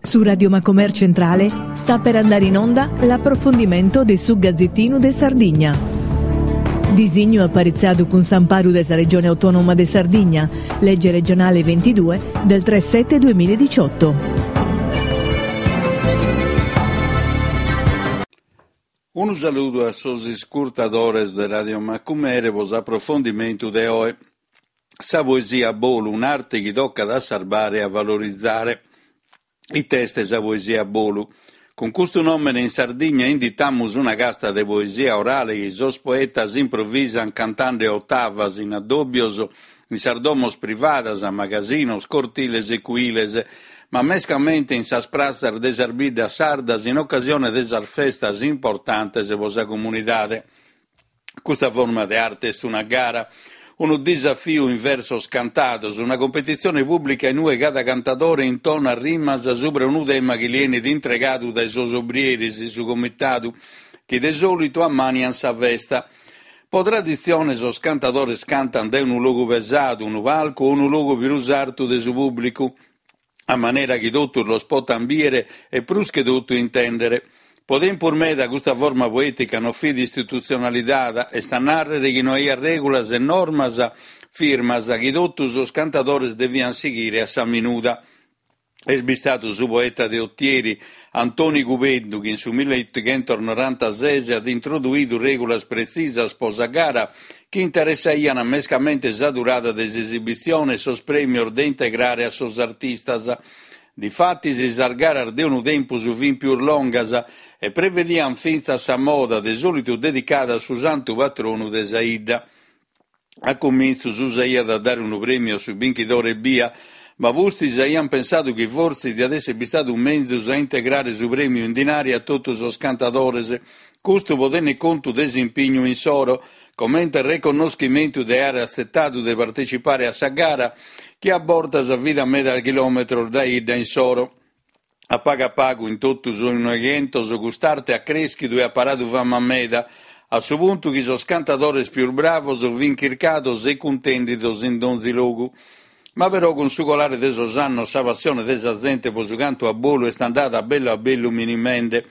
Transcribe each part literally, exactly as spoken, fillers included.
Su Radio Macomer Centrale sta per andare in onda l'approfondimento de su Gazzettinu de Sardigna. Disignu aparitzadu cun s'amparu de sa Regione Autonoma de Sardigna, legge regionale ventidue del tre sette duemiladiciotto. Unu saludu a sos iscurtadores de Radio Macumere pro s'aprofondimentu de oe. Sa poesia a bolu, un'arte chi tocat a sarbare e a valorizare. Ite est sa poesia a bolu? Cun custu nòmene in Sardigna inditamus una casta de poesia orale chi sos poetas improvisan cantende otavas in addòbios in sas domos privadas, magasinos, cortiles e cuiles, ma mescamente in sas pratzas de sas biddas sardas in ocasione de sas festas importantes pro sa comunidade. Custa forma de arte est una gara, unu disafiu in versos cantados, una competitzione pùblica in ue cada cantadore intonat rimas subra unu tema chi li 'enit intregadu dae sos obrieris, su comitadu, chi de sòlitu ammanian sa festa. Pro traditzione sos cantadores cantan dae unu logu pesadu, unu palcu o unu logu prus artu de su pùblicu, a manera chi totus los potan bìere e prus che totu intèndere. Pro tempus meda custa forma poètica non fit istitutzionalizada, est a nàrrere chi no aiat règulas e normas firmas chi totu sos cantadores deviant sighire a sa minuda. Est bistadu su poeta de Otieri, Antoni Cubeddu, chi in su milleotighentos norantases at introduidu règulas pretzisas pro sa gara chi interessaiant mescamente sa durada de s'esibitzione e sos prèmios de integrare a sos artistas. Difatis sas garas de unu tempus fin pius longas e prevediant fintzas sa moda, de sòlitu dedicada a su santu patronu de sa 'idda. A cumintzu s'usaiat a dare unu prèmiu a su binchidore ebbia, ma pustis aiant pensadu chi fortzis diat èssere bistadu menzus a integrare su prèmiu in dinari a totu sos cantadores, custu pro tènnere contu de s'impignu insoro, comente reconnoschimentu de àere atzetadu de partecipare a sa gara, chi a bortas fit a meda chilòmetros dae 'idda insoro. A pagu a pagu, in totu su Noighentos, cust'arte at crèschidu e at paradu fama meda, a su puntu chi sos cantadores pius bravos fin chircados e cuntèndidos in donzi logu. Ma però cun su colare de sos annos sa passione de sa zente pro su cantu a bolu est andada a bellu a bellu minimende.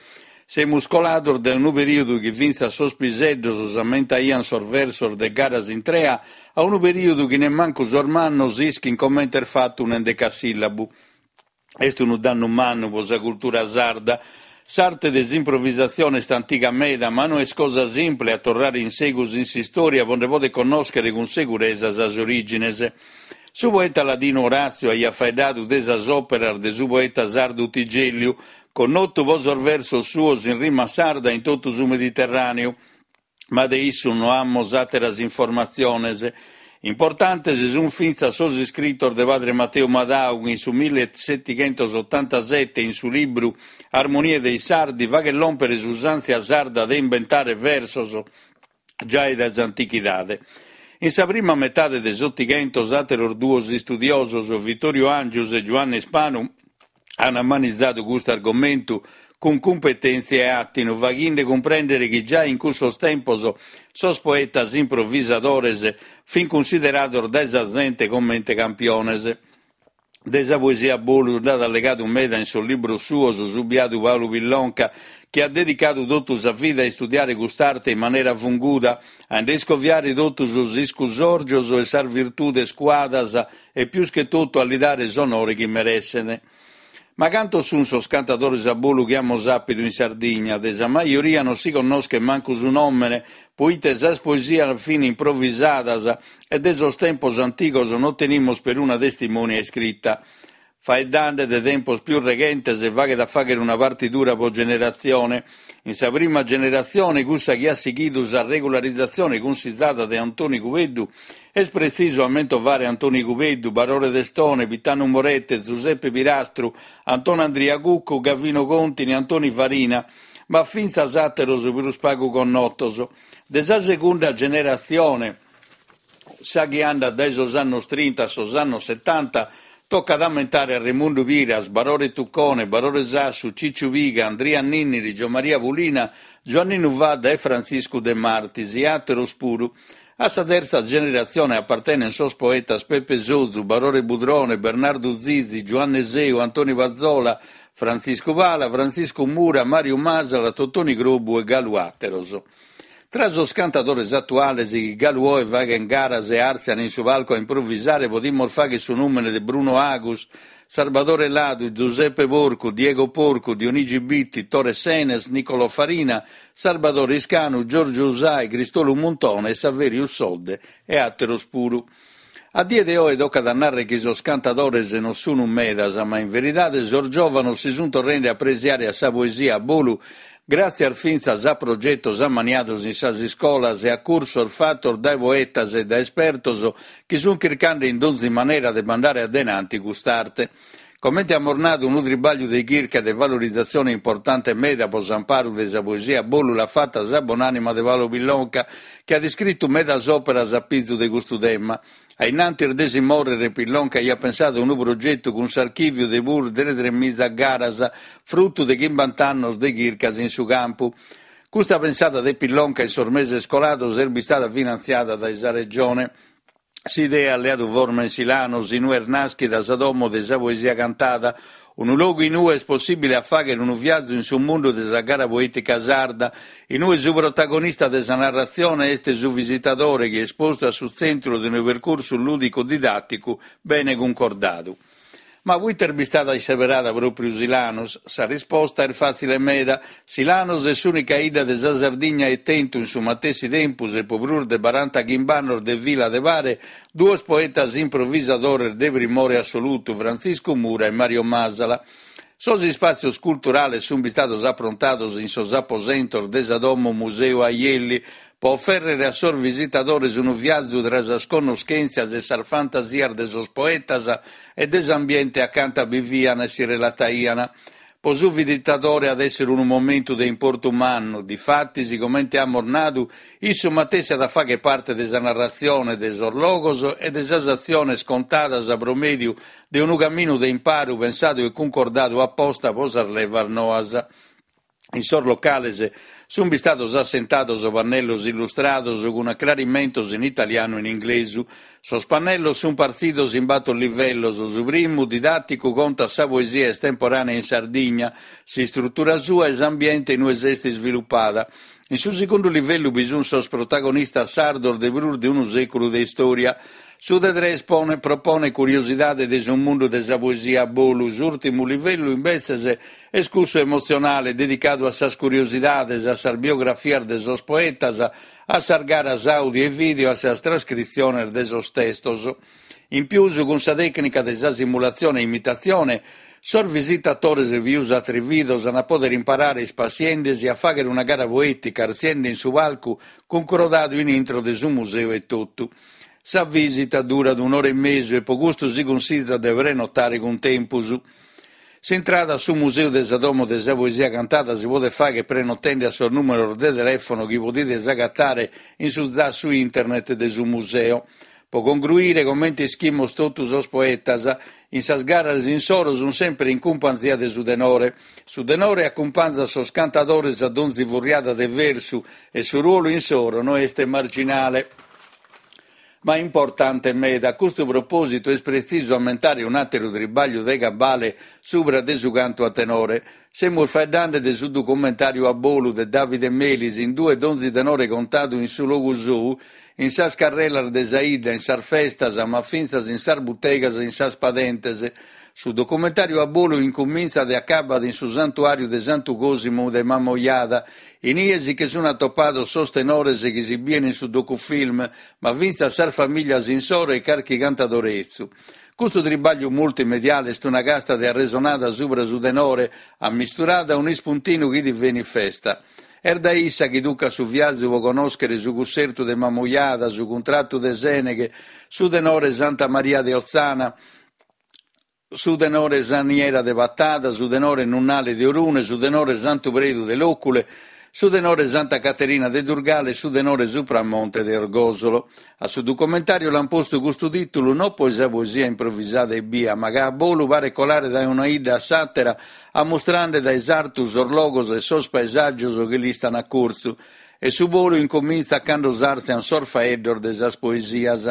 Semus colados dae unu perìodu chi fintzas sos piseddos s'ammentaiant sos versos de garas intrea a unu perìodu chi nemmancu sos mannos ischin comente est fatu un'endecasìllabu. Est unu dannu mannu pro sa cultura sarda. S'arte de s'improvisatzione est antiga meda, ma no est cosa simple a torrare in segus in s'istòria pro nde poder connòschere cun seguresa sas orìgines. Su poeta ladinu Orazio aiat faeddadu de sas òperas de su poeta sardu Tigèlliu, connotu pro sos versos suos in rima sarda in totu su Mediterràneu, ma de issu no amus àteras informatziones. Importantes sunt fintzas sos iscritos de padre Matteo Madau, chi in su millesetighentosotantasete in su libru Armonie dei Sardi faghet lòmpere s'usàntzia sarda de imbentare versos giai dae s'antichidade. In sa prima metade de s'Otighentos àteros duos istudiosos, Vittorio Angius e Giuanne Ispanu, an ammanitzadu custu argomentu cun cumpetèntzia e atinu, faghende cumprèndere chi giai in cussos tempos sos poetas improvisadores fin cunsiderados dae sa zente comente campiones. De sa poesia a bolu nd'at allegadu meda in sos libros suos su biadu Paulu Pillonca, chi at dedicadu totu sa vida a istudiare cust'arte in manera funguda, a nde iscoviare totu sos iscusòrgios e sas virtudes cuadas e pius che totu a li dare s'onore chi meresset. Ma cantos sunt sos cantadores a bolu chi amus àpidu in Sardigna? De sa majoria non si connoschet mancu su nòmene, poite sas poesias fin improvisadas e de sos tempos antigos non tenimus peruna testimonia iscrita. Faeddende de tempos pius reghentes faghet a fàghere una partidura pro generatzione. In sa prima generatzione, cussa chi at sighidu sa regularizatzione cunsizada de Antoni Cubeddu, est pretzisu a mentovare Antoni Cubeddu, Barore Testone, Pitanu Morette, Zuseppe Pirastru, Antonandria Cuccu, Gavino Contini, Antoni Farina, ma fintzas àteros prus pagu connotos. De sa segunda generatzione, sa chi andat dae sos annos trinta a sos annos setanta, tocat a ammentare a Remundu Piras, Barore Tuccone, Barore Sassu, Cicciu Piga, Andria Ninniri, Giommaria Pulina, Giuanninu Fadda e Frantziscu De Martis, e àteros puru. A sa tertza generatzione apartenent sos poetas Pepe Sozu, Barore Budrone, Bernardu Zizi, Giuanne Seu, Antoni Pazzola, Frantziscu Pala, Frantziscu Mura, Mariu Masala, Totoni Crobu e galu àteros. Tra sos cantadores atuales chi galu oe faghen garas e àrtzian in su palcu a improvisare podimus fagher su nùmene de Bruno Agus, Sarbadore Ladu, Giuseppe Porcu, Diego Porcu, Dionigi Bitti, Tore Senes, Nicolò Farina, Sarbadore Iscanu, Giorgio Usai, Cristolu Muntone e Saveriu Sodde e àteros puru. A die de oe tocat a narrer chi sos cantadores non sun medas, ma in veridade sos giòvanos si sunt torrende a presiare a sa poesia a bolu gràtzias fintzas a progetos ammaniados in sas iscolas e a cursos fatos dae poetas e dae espertos chi sunt chircande in donzi manera de mandare a denanti cust'arte. Comente amus nadu unu tribagliu de chirca e de valorizatzione importante meda pro s'amparu de sa poesia a bolu l'at fata sa bonànima de Paolo Pillonca, chi at iscritu medas òperas a pizu de custu tema. A innantis de si mòrrere Pillonca aiat pensadu unu progetu cun s'archìviu de prus de tremiza garas, frutu de chimbanta annos de chircas in su campu. Custa pensada de Pillonca in sos meses colados est bistada finantziada dae sa Regione. S'idea at leadu forma in Silanos, in ue est nàschida sa domo de sa poesia cantada, unu logu in ue est possìbile a fàghere unu viazu in su mundu de sa gara poètica sarda, in ue su protagonista de sa narratzione est su visitadore chi est postu a su tzentru de unu percursu lùdicu-didàticu bene cuncordadu. Ma proite est bistada isseberada pròpiu Silanos? Sa risposta est fàtzile meda. Silanos est s'ùnica 'idda de sa Sardigna at tentu in su matessi tempus e pro prus de barantachimbe annos de fila de pare duos poetas improvisadores de primore assolutu, Frantziscu Mura e Mario Masala. Sos ispàtzios culturales sunt bistados aprontados in sos aposentos de sa Domo Museu Aielli pro ofèrrere a sos visitadores unu viazu tra sas connoschèntzias e sas fantasias de sos poetas e de s'ambiente acanta bivian e si relataian. Pro su visitadore at èssere unu momentu de importu mannu, difatis, comente amus nadu, issu matessi at a fagher parte de sa narratzione de sos logos e de sas atziones contadas pro mèdiu de unu caminu de imparu pensadu e cuncordadu aposta pro sas levas noas. In sos locales sunt bistados assentados pannellos illustrados cun acrarimentos in italianu e in inglesu. Sos pannellos sunt partzidos in bator livellos. Su primu, didàticu, contat sa poesia estemporànea in Sardigna, s'istrutura sua e s'ambiente in ue s'est isvilupada. In su segundu livellu bi sunt sos protagonistas sardos de prus de unu sèculu de istòria. Su de tres pone, propone curiosidade de su mundu de sa poesia a bolu. S'ùrtimu livellu, imbetzes, est cussu emotzionale, dedicadu a sas curiosidades, a sas biografias de sos poetas, a sas garas audio e video, a sas trascritziones de sos testos. In pius, cun sa tècnica de sa simulatzione e imitatzione, sos visitadores pius atrividos an a poder imparare ispassiendesi a fàghere una gara poètica artziende in su palcu cuncordadu in intro de su museu etotu. Sa visita durat un'ora e mesu e pro custu si cunsizat de prenotare cun tempus. S'intrada a su Museu de sa Domo de sa Poesia Cantada si podet fagher prenotende a sos nùmeros de telèfono chi podides agatare in su zassu internet de su museo. Pro congruire, comente ischimus totu sos poetas, in sas garas insoro sunt semper in cumpanzia de su tenore. Su tenore acumpanzat sos cantadores a donzi furriada de versu e su ruolu insoro no est marginale, ma importante meda. A custu propòsitu est pretzisu ammentare un'àteru tribagliu de cabale subra de su cantu a tenore. Semus faeddende de su documentàriu A bolu de Davide Melis, in ue donzi tenore contadu in su logu sou, in sas carrelas de sa 'idda, in sas festas, ma fintzas in sas butegas e in sas padentes. Su documentàriu A bolu incumintzat e acabat in su santuàriu de Santu Cosimu de Mamoiada. Inie si che sunt atopados sos tenores chi si bien in su docufilm, ma fintzas sas famìlias insoro e carchi cantadore 'etzu. Custu tribagliu multimediale est una casta de arresonada subra su tenore, ammisturada a un'ispuntinu chi divenit festa. Est dae issa chi tucat su viazu pro connòschere su cussertu de Mamoiada, su cuntratu de Sèneghe, su tenore Santa Maria de Otzana, su tenore Saniera de Patada, su tenore Nunnale de Orune, su tenore Santu Predu de Lòcule, su tenore Santa Caterina de Durgale e su tenore Supramonte de Orgòsolo. A su documentàriu l'an postu custu tìtulu non pro sa poesia improvisada ebbia, ma ca a bolu paret colare dae una 'idda a s'àtera, ammustrende dae s'artu sos logos e sos paesàgios chi l'istan a curtzu. E su bolu incomintzat cando s'àrtzian sos faeddos de sas poesias.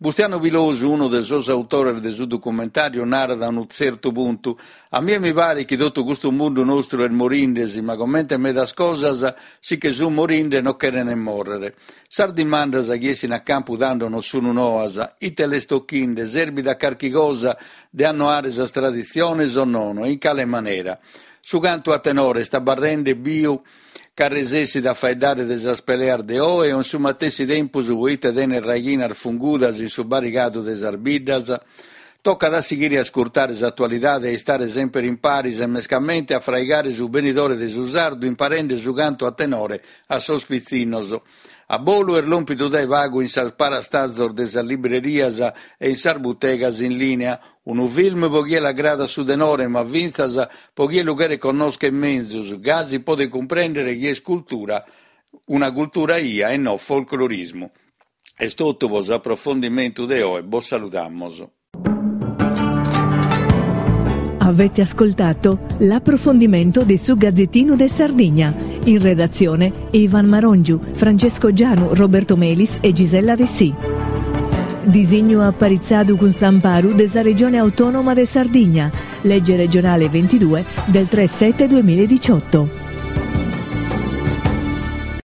Bustianu Pilosu, unu de sos autores de su documentàriu, narat a unu tzertu puntu: A mie mi paret chi totu custu mundu nostru est morindesi, ma comente medas cosas si che sun morinde non cheren mòrrere. Sas dimandas chi essin a campu tando non sunu noas. Ite l'est tochinde? Serbit a carchi cosa de annoare sas traditziones o nono? E in cale manera? Su cantu a tenore est abarrende biu ca resessit a faeddare de sas peleas de oe o in su matessi tempus proite tenet raighinas fungudas in su barigadu de sas biddas? Tocat a sighire a ascurtare s'atualidade e a istare semper in paris e mescamente a fraigare su benidore de su sardu imparende su cantu a tenore a sos pitzinnos. A bolu est lòmpidu dae pagu in sas parastazos de sas librerias e in sas butegas in lìnea. Unu film pro chie l'agradat su tenore, ma fintzas pro chie lu cheret connòschere menzus, gasi podet cumprèndere chi est cultura, una cultura 'ia e no folclorismu. Est totu pro s'aprofondimentu de oe, bos salutamus. Avete ascoltato l'approfondimento di su Gazzettino de Sardigna. In redazione Ivan Marongiu, Francesco Gianu, Roberto Melis e Gisella Dessì. Disignu aparitzadu cun s'amparu de sa Regione Autonoma de Sardigna. Legge regionale ventidue del tre sette duemiladiciotto.